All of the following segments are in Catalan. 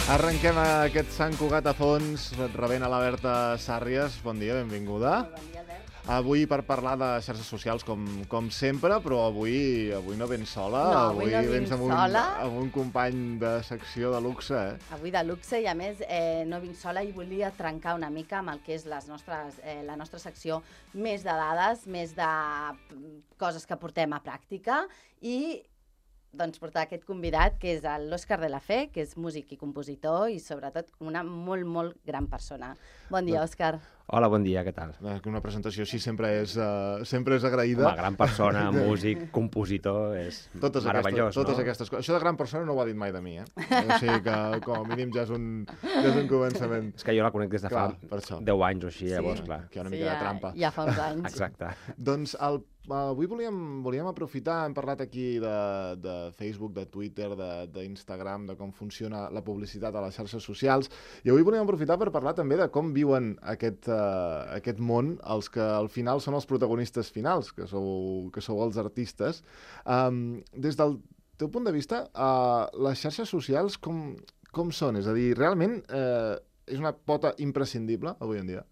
Arrenquem aquest Sant Cugat a fons, rebent a la Berta Sàrries. Bon dia, benvinguda. Bon dia, Albert. Avui per parlar de xarxes socials, com sempre, però avui no vens sola. No, avui no vens vinc amb sola. amb un company de secció de luxe, eh? Avui de luxe i, a més, no vinc sola i volia trencar una mica amb el que és la nostra secció, més de dades, més de coses que portem a pràctica i doncs portar aquest convidat, que és l'Òscar de la Fe, que és músic i compositor i, sobretot, una molt, molt gran persona. Bon dia, Òscar. Hola, bon dia, què tal? Una presentació així sempre és agraïda. Una gran persona, músic, compositor, és meravellós, totes aquestes coses. Això de gran persona no ho ha dit mai de mi, eh? O sigui que, com a mínim, ja és un començament. És que jo la conec des de fa 10 anys o així, llavors, clar. Que hi ha una mica de trampa. Ja fa uns anys. Exacte. Doncs avui volíem aprofitar, hem parlat aquí de Facebook, de Twitter, d'Instagram, de com funciona la publicitat a les xarxes socials, i avui volíem aprofitar per parlar també de com viuen aquest món els que al final són els protagonistes finals, que sou els artistes. Des del teu punt de vista, les xarxes socials com són? És a dir, realment és una pota imprescindible avui en dia?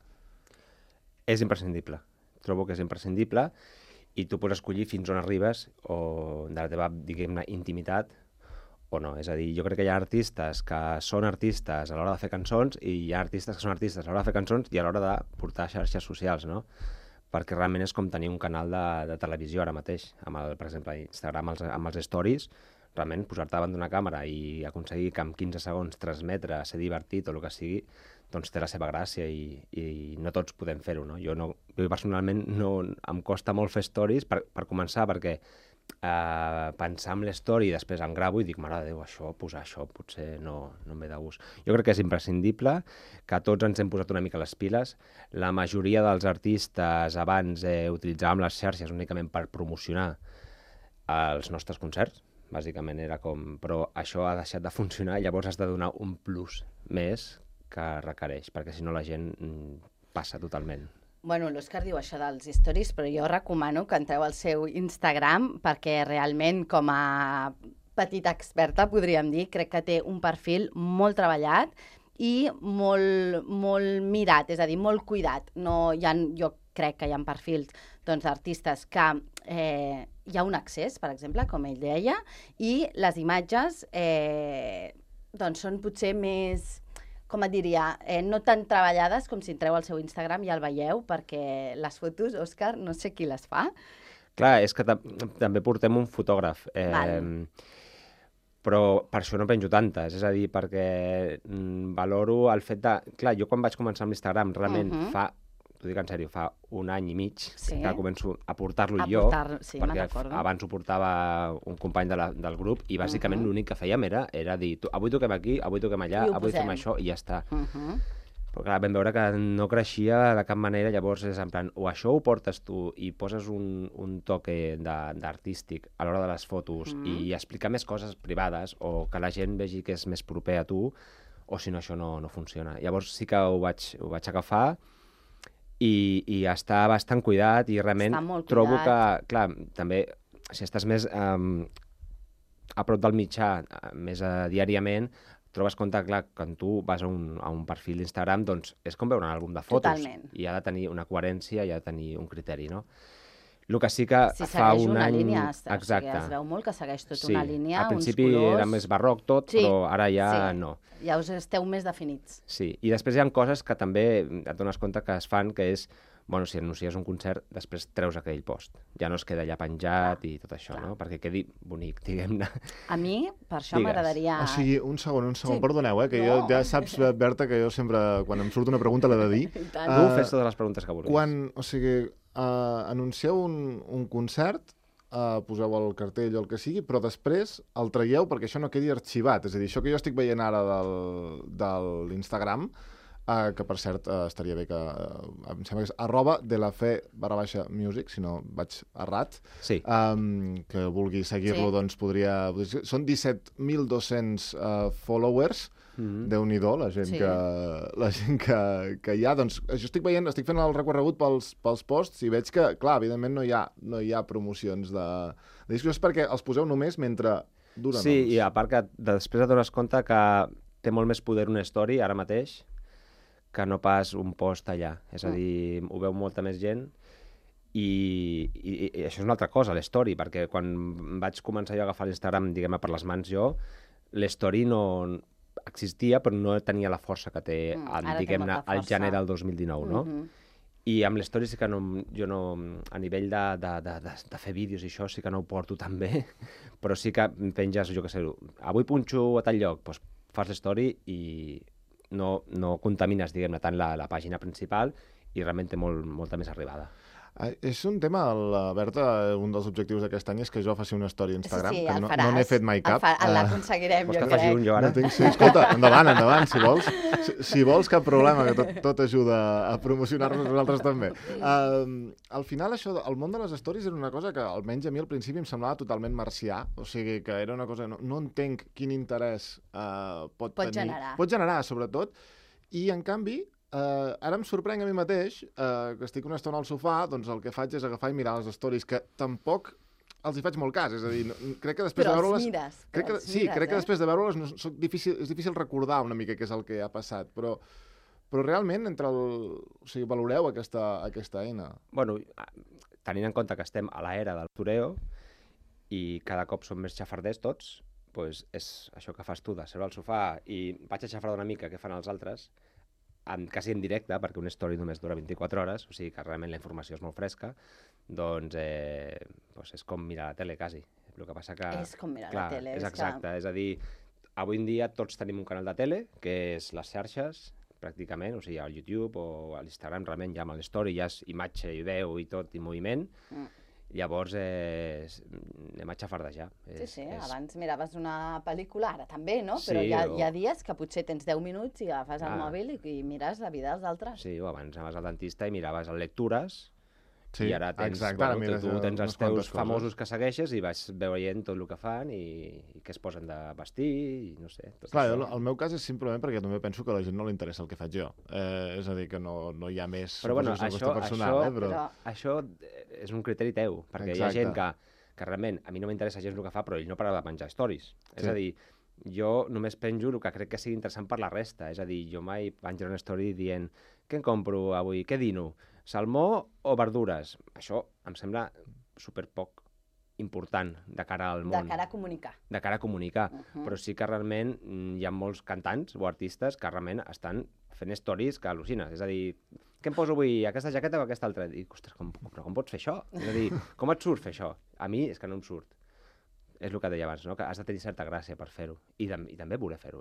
És imprescindible. Trobo que és imprescindible i tu pots escollir fins on arribes o de la teva, diguem-ne, intimitat o no. És a dir, jo crec que hi ha artistes que són artistes a l'hora de fer cançons i hi ha artistes que són artistes a l'hora de fer cançons i a l'hora de portar xarxes socials, no? Perquè realment és com tenir un canal de televisió ara mateix, per exemple, Instagram amb els stories, realment posar-te davant d'una càmera i aconseguir que en 15 segons transmetre, ser divertit o el que sigui, doncs té la seva gràcia i no tots podem fer-ho, no? Jo personalment em costa molt fer stories per començar, perquè pensar en l'story i després em gravo i dic, mare de Déu, posar això potser no em ve de gust. Jo crec que és imprescindible, que tots ens hem posat una mica les piles. La majoria dels artistes abans utilitzàvem les xarxes únicament per promocionar els nostres concerts, bàsicament era com... Però això ha deixat de funcionar i llavors has de donar un plus més que requereix, perquè si no la gent passa totalment. Bueno, l'Òscar diu això dels stories, però jo recomano que entreu al seu Instagram perquè realment, com a petita experta, podríem dir, crec que té un perfil molt treballat i molt mirat, és a dir, molt cuidat. Jo crec que hi ha perfils d'artistes que hi ha un accés, per exemple, com ell deia, i les imatges són potser més... com et diria, no tan treballades com si entreu al seu Instagram i el veieu, perquè les fotos, Òscar, no sé qui les fa. Clar, és que també portem un fotògraf, però per això no penjo tantes, és a dir, perquè valoro el fet de... Clar, jo quan vaig començar amb l'Instagram, realment t'ho dic en sèrio, fa un any i mig que començo a portar-lo jo, perquè abans ho portava un company del grup i bàsicament l'únic que fèiem era dir, avui toquem aquí, avui toquem allà, avui fem això i ja està. Però clar, vam veure que no creixia de cap manera, llavors és en plan, o això ho portes tu i poses un toque d'artístic a l'hora de les fotos i explicar més coses privades o que la gent vegi que és més proper a tu, o si no això no funciona. Llavors sí que ho vaig agafar i està bastant cuidat i realment trobo que, clar, també si estàs més a prop del mitjà, més diàriament, trobes compte, clar, quan tu vas a un perfil d'Instagram, doncs és com veure un àlbum de fotos. Totalment. I ha de tenir una coherència, i ha de tenir un criteri, no? El que sí que si fa un una any... línia, exacte. Es veu molt que segueix una línia, al principi uns colors... era més barroc tot, però ara ja no. Ja us esteu més definits. Sí, i després hi ha coses que també et dones compte que es fan, que és, bueno, si anuncies un concert, després treus aquell post. Ja no es queda allà penjat i tot això, no? Perquè quedi bonic, diguem-ne. A mi, per això m'agradaria... O sigui, un segon, perdoneu, que jo ja saps, Berta, que jo sempre, quan em surt una pregunta, l'he de dir. Tu fes totes les preguntes que vulguis. O sigui, anuncieu un concert, poseu el cartell o el que sigui, però després el traieu perquè això no quedi arxivat. És a dir, això que jo estic veient ara de l'Instagram, que per cert estaria bé que em sembla que és @delafe_music, si no vaig errat, que vulgui seguir-lo doncs podria... Són 17.200 followers, Déu-n'hi-do, la gent que hi ha. Doncs jo estic fent el recorregut pels posts i veig que, clar, evidentment no hi ha promocions de discos, perquè els poseu només mentre duren. Sí, i a part que després et dones compte que té molt més poder una story ara mateix que no pas un post allà. És a dir, ho veu molta més gent i això és una altra cosa, l'story, perquè quan vaig començar jo a agafar l'Instagram, diguem-ne, per les mans jo, l'story no existia, però no tenia la força que té, diguem-ne, al gener del 2019, no? I amb l'story sí que jo no, a nivell de fer vídeos i això sí que no ho porto tan bé, però sí que penges, jo què sé, avui punxo a tal lloc, doncs fas l'story i no contamines, diguem-ne, tant la pàgina principal i realment té molta més arribada. És un tema, Berta, un dels objectius d'aquest any és que jo faci una història a Instagram, sí, que no n'he fet mai cap. L'aconseguirem, jo crec. Vols que faci un jo ara? Sí, escolta, endavant, si vols. Si vols, cap problema, que tot ajuda a promocionar-nos nosaltres també. Al final, això, el món de les stories era una cosa que, almenys a mi al principi, em semblava totalment marcià, o sigui, que era una cosa... No entenc quin interès pot tenir. Pot generar, sobretot, i, en canvi, ara em sorprenc a mi mateix que estic una estona al sofà, doncs el que faig és agafar i mirar les stories, que tampoc els hi faig molt cas, és a dir, crec que després de veure-les... Crec que després de veure-les és difícil recordar una mica què és el que ha passat, però realment o sigui, valoreu aquesta eina. Bueno, tenint en compte que estem a l'era del toreo i cada cop som més xafarders tots, doncs és això que fas tu, de seure al sofà i vaig a xafardar una mica què fan els altres, quasi en directe, perquè una story només dura 24 hores, o sigui que realment la informació és molt fresca, doncs és com mirar la tele, quasi. El que passa que... És com mirar la tele. És exacte, és a dir, avui en dia tots tenim un canal de tele, que és les xarxes, pràcticament, o sigui, al YouTube o a l'Instagram, realment ja amb l'story ja és imatge i veu i tot, i moviment, llavors anem a xafardejar. Sí, abans miraves una pel·lícula, ara també, no? Però hi ha dies que potser tens 10 minuts i agafes el mòbil i mires la vida dels altres. Sí, o abans anaves al dentista i miraves el lectures, i ara tens els teus famosos que segueixes i vas veient tot el que fan i què es posen de vestir i no sé. Clar, el meu cas és simplement perquè també penso que a la gent no li interessa el que faig jo. És a dir, que no hi ha més... Però bueno, això és un criteri teu, perquè hi ha gent que realment a mi no m'interessa gens el que fa, però ell no para de menjar stories. És a dir, jo només penjo el que crec que sigui interessant per la resta. És a dir, jo mai penjaré una story dient què em compro avui, què dino? Salmó o verdures? Això em sembla superpoc important de cara al món. De cara a comunicar. De cara a comunicar. Però sí que realment hi ha molts cantants o artistes que realment estan fent stories que al·lucines. És a dir, què em poso avui, aquesta jaqueta o aquesta altra? I dic, ostres, com pots fer això? És a dir, com et surt fer això? A mi és que no em surt. És el que deia abans, no? Que has de tenir certa gràcia per fer-ho. I també voler fer-ho,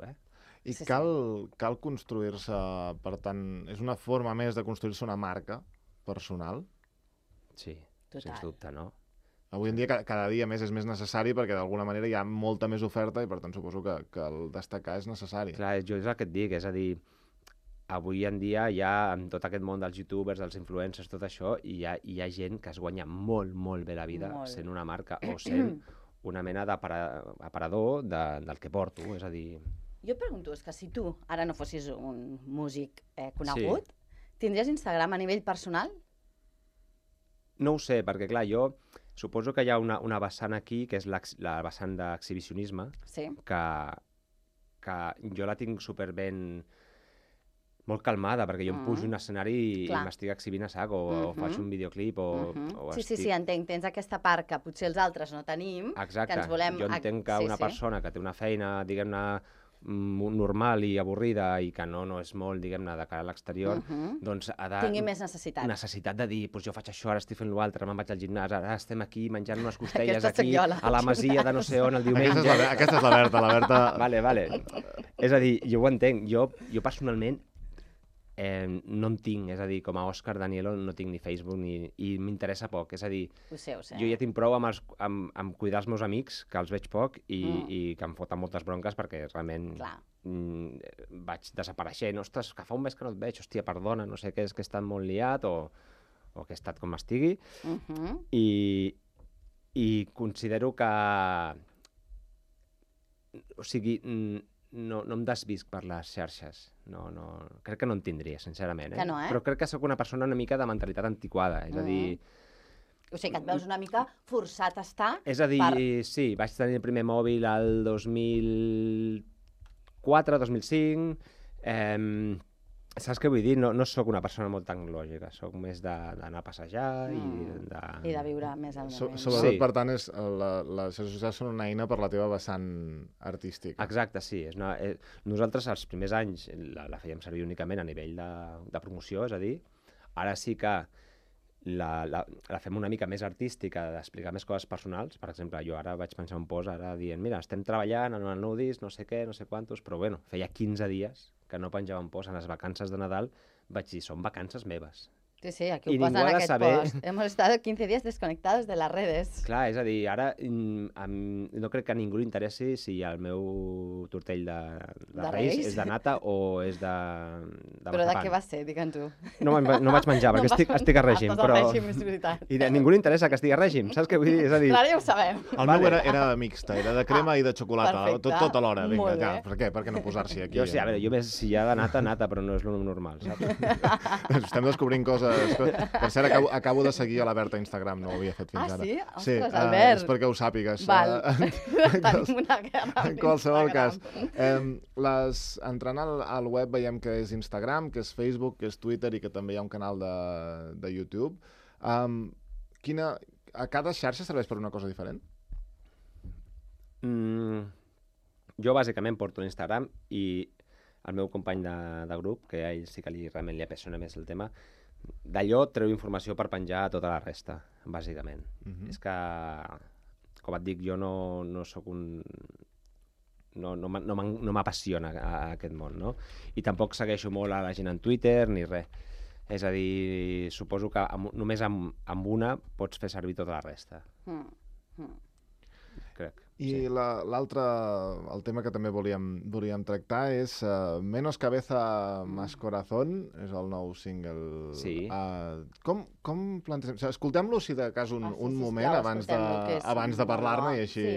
I cal construir-se, per tant, és una forma més de construir-se una marca personal? Sí, sens dubte, no? Avui en dia cada dia més és més necessari perquè d'alguna manera hi ha molta més oferta i per tant suposo que el destacar és necessari. Clar, jo és el que et dic, és a dir, avui en dia hi ha, en tot aquest món dels youtubers, dels influencers, tot això, hi ha gent que es guanya molt, molt bé la vida sent una marca o sent una mena d'aparador del que porto, és a dir... Jo et pregunto, és que si tu ara no fossis un músic conegut, tindries Instagram a nivell personal? No ho sé, perquè clar, jo suposo que hi ha una vessant aquí, que és la vessant d'exhibicionisme, que jo la tinc superben molt calmada, perquè jo em pujo un escenari i m'estic exhibint a sac, o faig un videoclip, Sí, entenc, tens aquesta part que potser els altres no tenim, que ens volem... Jo entenc que una persona que té una feina, diguem-ne, normal i avorrida i que no és molt, diguem-ne, de cara a l'exterior, doncs ha de... Tingui més necessitat. Necessitat de dir, doncs jo faig això, ara estic fent l'altre, me'n vaig al gimnàs, ara estem aquí menjant unes costelles aquí, a la masia de no sé on el diumenge. Aquesta és la Berta. Vale. És a dir, jo ho entenc. Jo personalment no en tinc, és a dir, com a Òscar Danielo no tinc ni Facebook i m'interessa poc, és a dir, ho sé. Jo ja tinc prou amb cuidar els meus amics, que els veig poc i que em foten moltes bronques perquè realment vaig desapareixent, ostres, que fa un mes que no et veig, hòstia, perdona, no sé què, és que he estat molt liat o que he estat com estigui, i considero que, o sigui, no em desvisc per les xarxes. Crec que no en tindria, sincerament. Que no, Però crec que sóc una persona una mica de mentalitat antiquada, és a dir... O sigui, que et veus una mica forçat a estar... És a dir, sí, vaig tenir el primer mòbil al 2011 2004, 2005... Saps què vull dir? No sóc una persona molt tecnològica, sóc més d'anar a passejar i de... I de viure més al moment. Sobretot, per tant, les xarxes socials són una eina per la teva vessant artística. Exacte, sí. Nosaltres, els primers anys, la fèiem servir únicament a nivell de promoció, és a dir, ara sí que la fem una mica més artística, d'explicar més coses personals. Per exemple, jo ara vaig pensar un post ara dient, mira, estem treballant en el nou disc, no sé què, no sé quantos, però bueno, feia 15 dies que no penjava un post en les vacances de Nadal, vaig dir, són vacances meves. Sí, aquí ho posen en aquest post. Hemos estado 15 días desconectados de las redes. Clar, és a dir, ara no crec que a ningú li interessi si el meu tortell de Reis és de nata o és de Però de què va ser, digue'm tu? No vaig menjar, perquè estic a règim. Estàs a règim, és veritat. I a ningú li interessa que estigui a règim, saps què vull dir? És a dir... Clar, ja ho sabem. El meu era mixta, era de crema i de xocolata, tot alhora. Vinga, ja, per què no posar-s'hi aquí? Jo sí, a veure, jo més si hi ha de nata, però no és lo normal, saps? Estem descobrint coses... Per cert, acabo de seguir a la Berta a Instagram, no ho havia fet fins ara. Ah, sí? Ostres, Albert. És perquè ho sàpigues. Val. Tenim una guerra. En qualsevol cas. Entrant al web veiem que és Instagram, que és Facebook, que és Twitter i que també hi ha un canal de YouTube. A cada xarxa serveix per una cosa diferent? Jo bàsicament porto l'Instagram i el meu company de grup, que a ell sí que realment li apassiona més el tema, d'allò treu informació per penjar a tota la resta, bàsicament. És que, com et dic, jo no sóc un... No m'apassiona aquest món, no? I tampoc segueixo molt a la gent en Twitter ni res. És a dir, suposo que només amb una pots fer servir tota la resta. Crec. I l'altre, el tema que també volíem tractar és Menos cabeza, más corazón, és el nou single. Sí. Com plantegem? Escoltem-lo, si de cas, un moment abans de parlar-ne i així...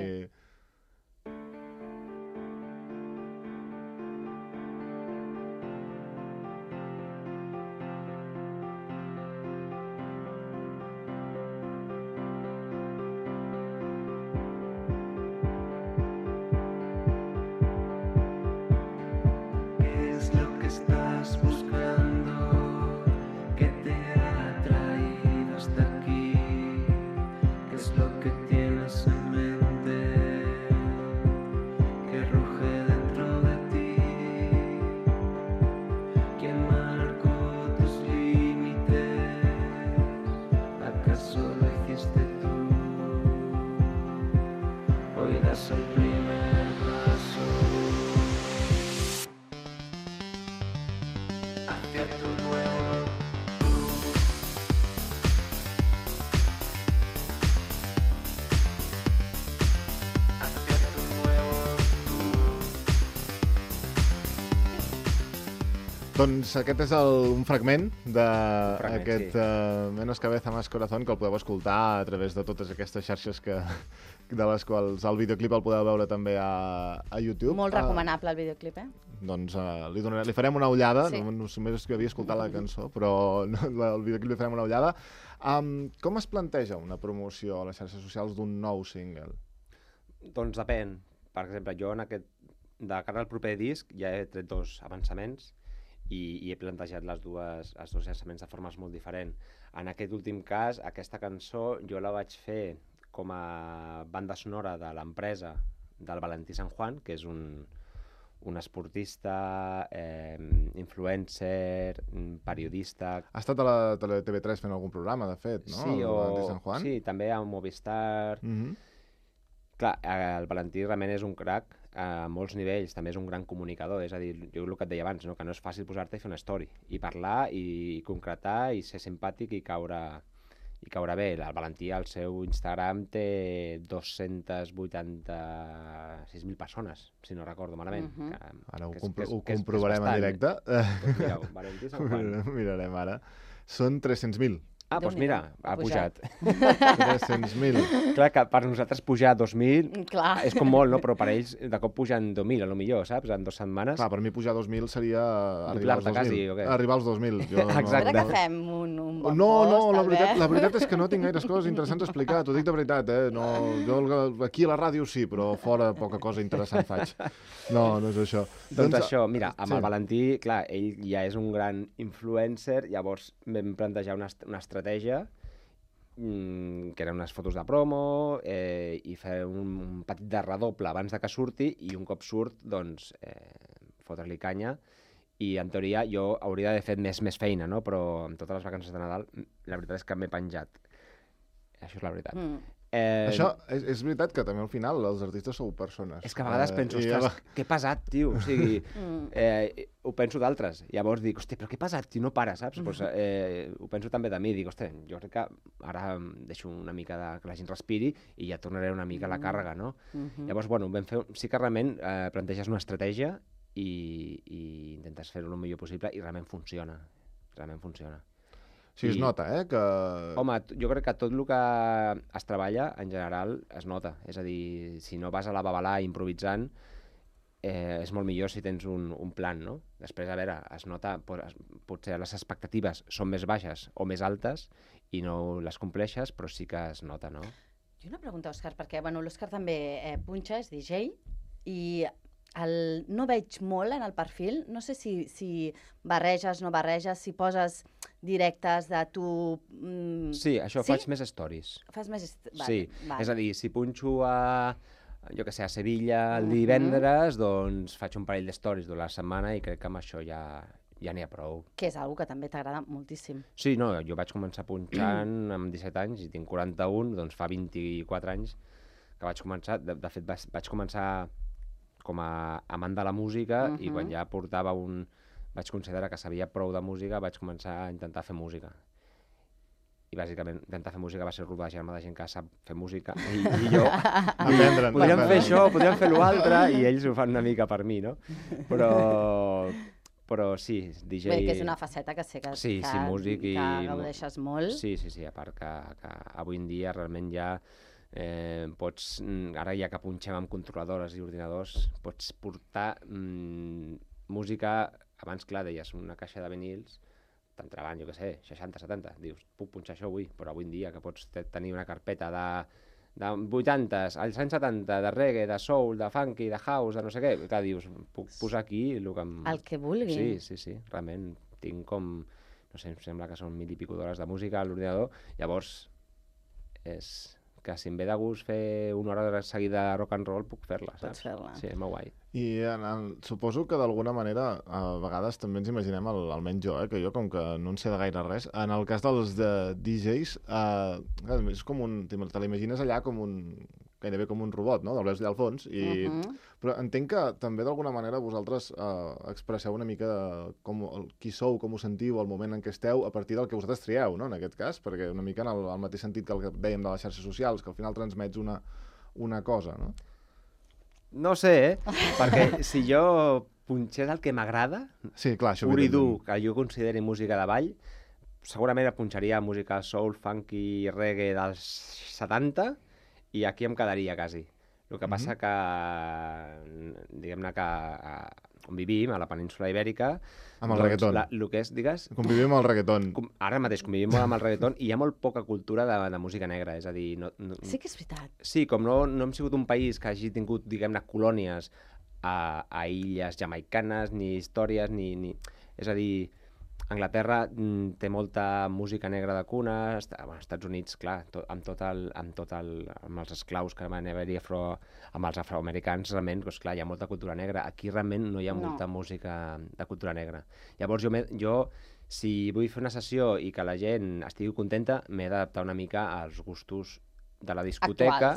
Doncs aquest és un fragment d'aquest Menos cabeza, más corazón, que el podeu escoltar a través de totes aquestes xarxes de les quals el videoclip el podeu veure també a YouTube. Molt recomanable el videoclip, Doncs li farem una ullada, només que havia escoltat la cançó, però el videoclip li farem una ullada. Com es planteja una promoció a les xarxes socials d'un nou single? Doncs depèn. Per exemple, jo de cara al proper disc ja he tret 2 avançaments i he plantejat els dos llançaments de formes molt diferents. En aquest últim cas, aquesta cançó jo la vaig fer com a banda sonora de l'empresa del Valentí San Juan, que és un esportista, influencer, periodista... Ha estat a la TV3 fent algun programa, de fet, no? Sí, el Valentí San Juan? Sí, també a Movistar... Clar, el Valentí realment és un crac a molts nivells, també és un gran comunicador, és a dir, jo el que et deia abans, no? Que no és fàcil posar-te i fer una story, i parlar, i concretar, i ser simpàtic i caure bé. El Valentí al seu Instagram té 286.000 persones, si no recordo malament. Ara ho comprovarem en directe. Mireu, Valentí San Juan. Mirarem ara. Són 300.000. Ah, doncs mira, ha pujat. 300.000. Clar, que per nosaltres pujar 2.000 Clar. és com molt, no? Però per ells de cop pugen 2.000, a lo millor, saps? En 2 setmanes. Clar, per mi pujar 2.000 seria arribar als Doblar-te 2.000. quasi, o què? Arribar als 2.000. Exacte. Espera que fem un bon No, post, la veritat és que no tinc gaires coses interessants a explicar, t'ho dic de veritat, No, jo aquí a la ràdio sí, però fora poca cosa interessant faig. No és això. Doncs això, mira, amb sí. el Valentí, clar, ell ja és un gran influencer, llavors vam plantejar una estratègia que eren unes fotos de promo i fer un petit de redoble abans de que surti i un cop surt, doncs, fotre-li canya i en teoria jo hauria d'haver fet més feina, no? Però amb totes les vacances de Nadal la veritat és que m'he penjat. Això és la veritat. Això és veritat que també al final els artistes sou persones. És que a vegades penso, ostres, que pesat, tio. O sigui, ho penso d'altres. Llavors dic, hòstia, però que pesat, tio, no para, saps? Pues, ho penso també de mi. Dic, hòstia, jo crec que ara deixo una mica que la gent respiri i ja tornaré una mica a la càrrega, no? Llavors, bueno, sí que realment planteges una estratègia i intentes fer-ho el millor possible i realment funciona. Realment funciona. Sí, es nota, que... Home, jo crec que tot el que es treballa, en general, es nota. És a dir, si no vas a la babalà improvisant, és molt millor si tens un plan, no? Després, a veure, es nota, potser les expectatives són més baixes o més altes i no les compleixes, però sí que es nota, no? I una pregunta, Òscar, perquè l'Òscar també punxa, és DJ, i no veig molt en el perfil, no sé si barreges, no barreges, si poses directes de tu... Sí, això faig més stories. Fas més... Sí, és a dir, si punxo a Sevilla el divendres, doncs faig un parell de stories de la setmana i crec que amb això ja n'hi ha prou. Que és una que també t'agrada moltíssim. Sí, no, jo vaig començar punxant amb 17 anys i tinc 41, doncs fa 24 anys que vaig començar. De fet, vaig començar com a amant de la música i quan ja portava vaig considerar que sabia prou de música, vaig començar a intentar fer música. I bàsicament intentar fer música va ser rodejar-me de gent que sap fer música i jo podríem fer això, podríem fer l'altre i ells ho fan una mica per mi, no? Però sí, DJ... Bé, que és una faceta que sé que músic que gaudeixes molt. Sí, a part que avui en dia realment ja pots, ara ja que punxem amb controladores i ordinadors, pots portar música, abans clar deies una caixa de vinils, t'entraven, jo què sé, 60, 70, dius, puc punxar això avui, però avui en dia que pots tenir una carpeta de 80s, als anys 70, de reggae, de soul, de funky, de house, de no sé què, clar, dius, puc posar aquí el que vulgui. Sí, realment tinc com, no sé, em sembla que són 1000 i pico d'hores de música a l'ordinador, llavors és que si em ve de gust fer una hora seguida de rock and roll puc fer-la, saps? Pots fer-la. Sí, és molt guai. I suposo que d'alguna manera a vegades també ens imaginem, almenys jo, que jo com que no en sé de gaire res, en el cas dels DJs és com te l'imagines allà com gairebé com un robot, no? Del veus allà al fons. Però entenc que també d'alguna manera vosaltres expresseu una mica qui sou, com ho sentiu, el moment en què esteu, a partir del que vosaltres trieu, no? En aquest cas, perquè una mica en el mateix sentit que el que dèiem de les xarxes socials, que al final transmets una cosa, no? No sé, perquè si jo punxés el que m'agrada, sí, clar, pur i dur, que jo consideri música de ball, segurament punxaria música soul, funky, reggae dels 70 i aquí em quedaria quasi. El que passa que, diguem-ne que on vivim, a la península Ibèrica... Amb el reggaeton. El que és, digues... Convivim amb el reggaeton. Ara mateix convivim molt amb el reggaeton i hi ha molt poca cultura de música negra, és a dir... Sí que és veritat. Sí, com no hem sigut un país que hagi tingut, diguem-ne, colònies a illes jamaicanes, ni històries, ni... És a dir, Anglaterra té molta música negra de cuna, Estats Units, clar, amb els esclaus que van haver-hi amb els afroamericans, realment, doncs, clar, hi ha molta cultura negra. Aquí realment no hi ha molta música de cultura negra. Llavors jo, si vull fer una sessió i que la gent estigui contenta, m'he d'adaptar una mica als gustos de la discoteca.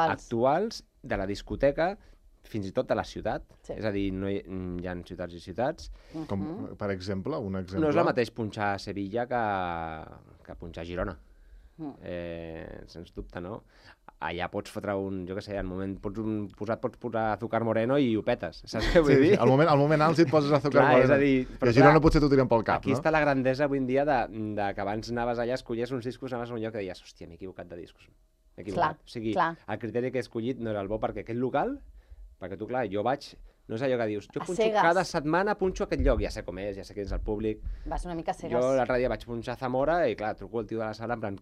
Actuals, de la discoteca, fins i tot de la ciutat, és a dir, hi ha ciutats i ciutats. Com, per exemple, un exemple? No és el mateix punxar a Sevilla que punxar a Girona, sens dubte, no? allà pots fotre jo què sé, al moment pots posar Azúcar Moreno i ho petes, saps què vull dir? Al moment alt si et poses Azúcar Clar, Moreno. és a dir, I a Girona potser t'ho tiren pel cap, aquí no? està la grandesa avui en dia de que abans anaves allà, escollies uns discos, anaves a un lloc i deies, hòstia, m'he equivocat de discos. M'he equivocat. Clar, O sigui, clar. el criteri que he escollit no era el bo perquè aquest local, perquè tu, clar, jo vaig, no és allò que dius, jo A punxo cegues. cada setmana, punxo aquest lloc, ja sé com és, ja sé quin és el públic. Vas una mica cegues. Jo l'altre dia vaig punxar Zamora i, clar, truco al tio de la sala en plan,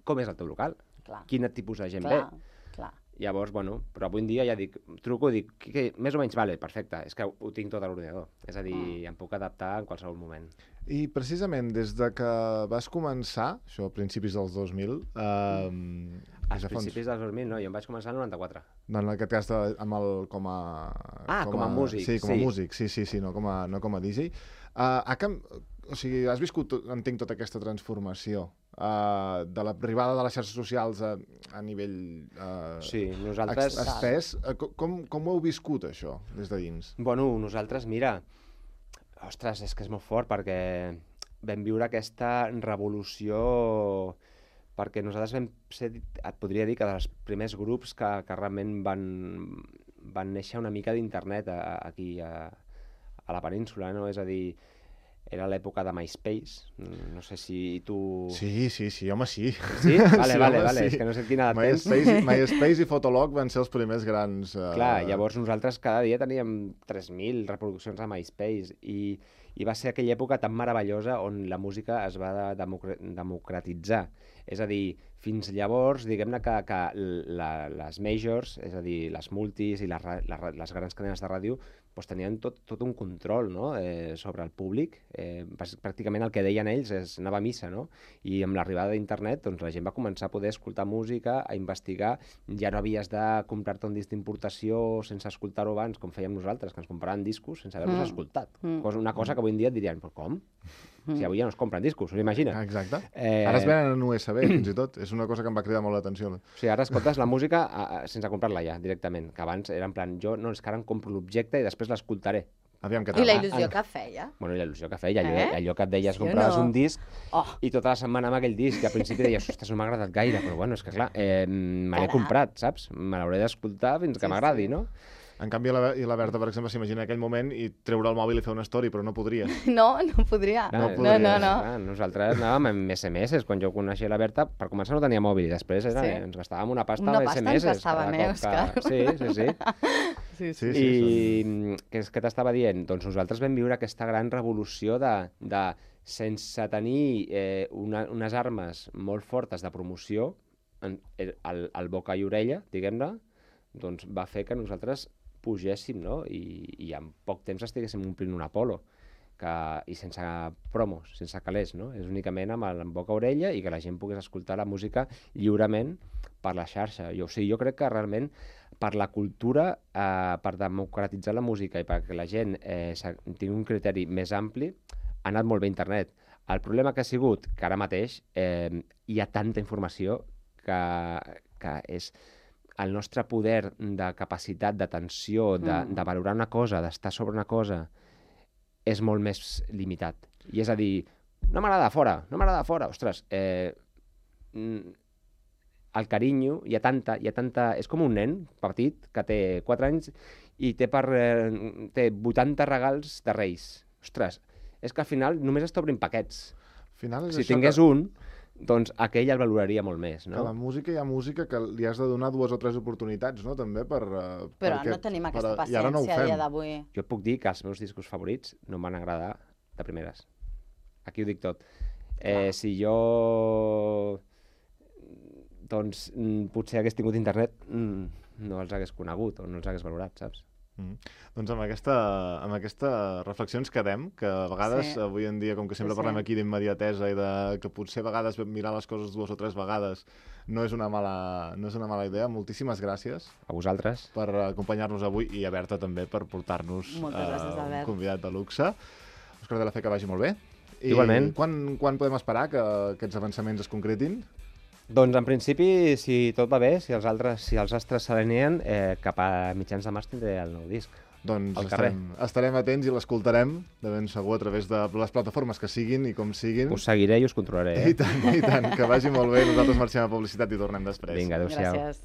com és el teu local? Clar, Quin tipus de gent clar, ve? clar. Llavors, bueno, però avui en dia ja dic, truco, dic, que més o menys, vale, perfecte, és que ho tinc tot a l'ordinador. És a dir, em puc adaptar en qualsevol moment. I precisament des de que vas començar, això a principis dels 2000... Als principis dels 2000, no, jo em vaig començar el 94. No, en aquest cas amb el, com a... com a músic, Sí, com a sí. músic, sí, no com a DJ. O sigui, has viscut, entenc, tota aquesta transformació de l'arribada de les xarxes socials a nivell Sí, nosaltres... estès. Com ho heu viscut, això, des de dins? Bueno, nosaltres, mira, ostres, és que és molt fort perquè vam viure aquesta revolució, perquè nosaltres vam ser, et podria dir que dels primers grups que realment van néixer una mica d'internet aquí a la península, no? És a dir, era l'època de MySpace, no sé si tu... Sí, home, sí. Sí? Vale, Sí, vale, home, vale, sí. és que no sé quina edat tens. MySpace i Fotolog van ser els primers grans... Clar, llavors nosaltres cada dia teníem 3.000 reproduccions a MySpace i va ser aquella època tan meravellosa on la música es va democratitzar. És a dir, fins llavors, diguem-ne que les majors, és a dir, les multis i les grans cadenes de ràdio, doncs tenien tot un control, no? Sobre el públic. Pràcticament el que deien ells és anava a missa, no? I amb l'arribada d'internet doncs, la gent va començar a poder escoltar música, a investigar. Ja no havies de comprar-te un disc d'importació sense escoltar-ho abans, com fèiem nosaltres, que ens compràvem discos sense haver-los escoltat. Una cosa que avui en dia et dirien, però com? Si avui ja no es compren discos, us imagina? Exacte. Ara es venen en USB, fins i tot. És una cosa que em va cridar molt l'atenció. O sigui, ara escoltes la música sense comprar-la ja, directament. Que abans era en plan, és que ara em compro l'objecte i després l'escoltaré. Aviam què I tal. la il·lusió que feia. Bueno, i la il·lusió que feia, allò que et deies, Sí o compraves no? un disc Oh. i tota la setmana amb aquell disc, i al principi deies, ostres, no m'ha agradat gaire, però bueno, és que clar, me l'he comprat, saps? Me l'hauré d'escoltar fins que m'agradi, no? En canvi, la Berta, per exemple, s'imagina aquell moment i treure el mòbil i fer una story, però no podria. No podria. Clar, podria. No. Clar, nosaltres anàvem amb SMS, quan jo coneixia la Berta, per començar no tenia mòbil, i després ens gastàvem una pasta Una amb pasta SMS. ens gastàvem, Òscar? Sí. Sí. I què t'estava dient? Doncs nosaltres vam viure aquesta gran revolució de sense tenir unes armes molt fortes de promoció, el boca i orella, diguem-ne, doncs va fer que nosaltres pugéssim, no? I en poc temps estiguéssim omplint un Apolo, i sense promos, sense calés, no? És únicament amb el boca-orella i que la gent pogués escoltar la música lliurement per la xarxa. Jo crec que realment per la cultura, per democratitzar la música i perquè la gent tingui un criteri més ampli, ha anat molt bé internet. El problema que ha sigut que ara mateix hi ha tanta informació que és el nostre poder de capacitat, d'atenció, de valorar una cosa, d'estar sobre una cosa, és molt més limitat. I és a dir, no m'agrada fora, ostres, el carinyo, hi ha tanta... És com un nen petit que té 4 anys i té 80 regals de Reis. Ostres, és que al final només es t'obrin paquets. Al final és Si això tingués un, doncs aquell el valoraria molt més, no? Que la música hi ha música que li has de donar 2 o 3 oportunitats, no?, també, Però no tenim aquesta i ara no ho paciència a fem. dia d'avui. Jo et puc dir que els meus discos favorits no em van agradar de primeres. Aquí ho dic tot. Si jo doncs potser hagués tingut internet, no els hagués conegut o no els hagués valorat, saps? Doncs amb aquesta reflexió ens quedem, que a vegades, avui en dia, com que sempre parlem aquí d'immediatesa i que potser a vegades mirar les coses 2 o 3 vegades no és una mala idea. Moltíssimes gràcies. A vosaltres. Per acompanyar-nos avui i a Berta també per portar-nos un convidat de luxe. Òscar de la Fe, que vagi molt bé. Igualment. I quan podem esperar que aquests avançaments es concretin? Doncs en principi, si tot va bé, si els astres s'alineen, cap a mitjans de març tindré el nou disc. Doncs estarem atents i l'escoltarem, de ben segur, a través de les plataformes que siguin i com siguin. Us seguiré i us controlaré. I tant, que vagi molt bé. Nosaltres marxem a publicitat i tornem després. Vinga, adéu-siau. Gràcies.